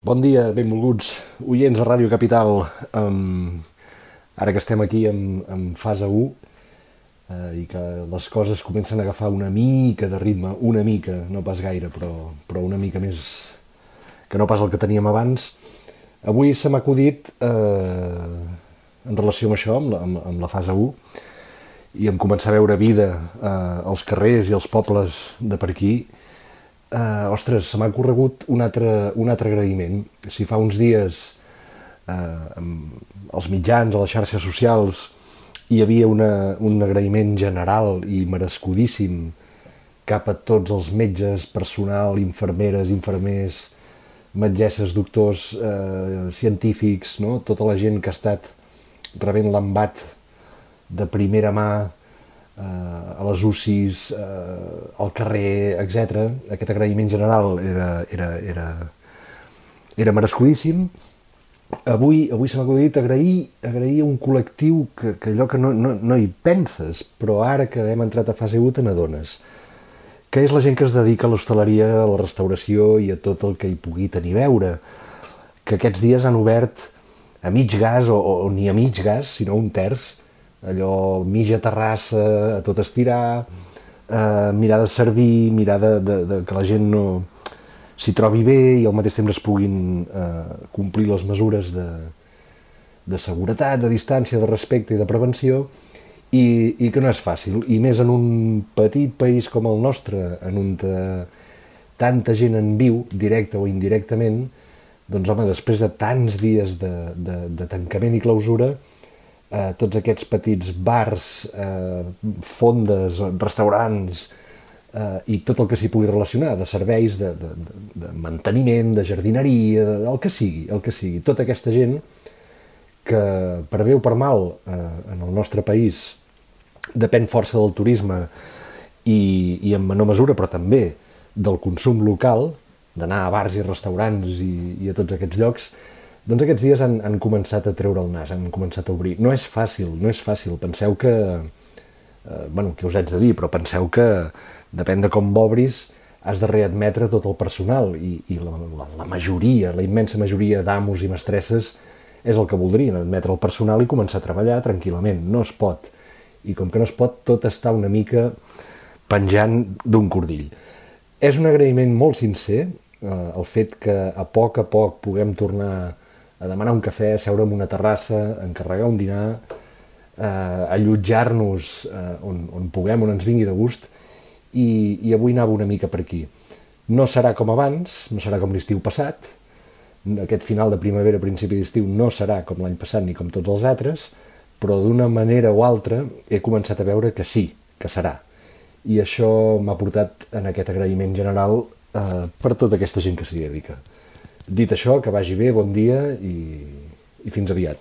Bon dia, benvolguts oients de Ràdio Capital. Ara que estem aquí en fase 1 i que les coses comencen a agafar una mica de ritme, una mica, no pas gaire, però una mica més que no pas el que teníem abans, avui se m'ha acudit, en relació amb això, amb la fase 1, i em començar a veure vida als carrers i als pobles de per aquí. Ostres, se m'ha corregut un altre agraïment. Si fa uns dies als mitjans, a les xarxes socials, hi havia un agraïment general i merescudíssim cap a tots els metges, personal, infermeres, infermers, metgesses, doctors, científics, no? Tota la gent que ha estat rebent l'embat de primera mà a les UCIs, al carrer, etc. Aquest agraïment general era merescudíssim. Avui se m'ha acudit agrair un col·lectiu que allò que no hi penses, però ara que hem entrat a fase 1 te n'adones, que és la gent que es dedica a l'hostaleria, a la restauració i a tot el que hi pugui tenir a veure, que aquests dies han obert a mig gas, o ni a mig gas, sinó un terç, allò mitja terrassa, a tot estirar, mirar de servir, mirar de que la gent no s'hi trobi bé i al mateix temps es puguin complir les mesures de seguretat, de distància, de respecte i de prevenció, i que no és fàcil, i més en un petit país com el nostre, en on tanta gent en viu, directe o indirectament, doncs home, després de tants dies de tancament i clausura, tots aquests petits bars, fondes, restaurants i tot el que s'hi pugui relacionar, de serveis, de manteniment, de jardineria, el que sigui, tota aquesta gent que per bé o per mal en el nostre país depèn força del turisme i en menor mesura, però també del consum local, d'anar a bars i restaurants i a tots aquests llocs. Doncs aquests dies han començat a treure el nas, han començat a obrir. No és fàcil. Penseu que, què us haig de dir, però penseu que depèn de com obris, has de readmetre tot el personal i la majoria, la immensa majoria d'amos i mestresses és el que voldrien, admetre el personal i començar a treballar tranquil·lament. No es pot. I com que no es pot, tot està una mica penjant d'un cordill. És un agraïment molt sincer, el fet que a poc puguem tornar a demanar un cafè, seure en una terrassa, encarregar un dinar, allotjar-nos on puguem, on ens vingui de gust, i avui anava una mica per aquí. No serà com abans, no serà com l'estiu passat, aquest final de primavera, principi d'estiu, no serà com l'any passat ni com tots els altres, però d'una manera o altra he començat a veure que sí, que serà. I això m'ha portat en aquest agraïment general per tota aquesta gent que s'hi dedica. Dit això, que vagi bé, bon dia i fins aviat.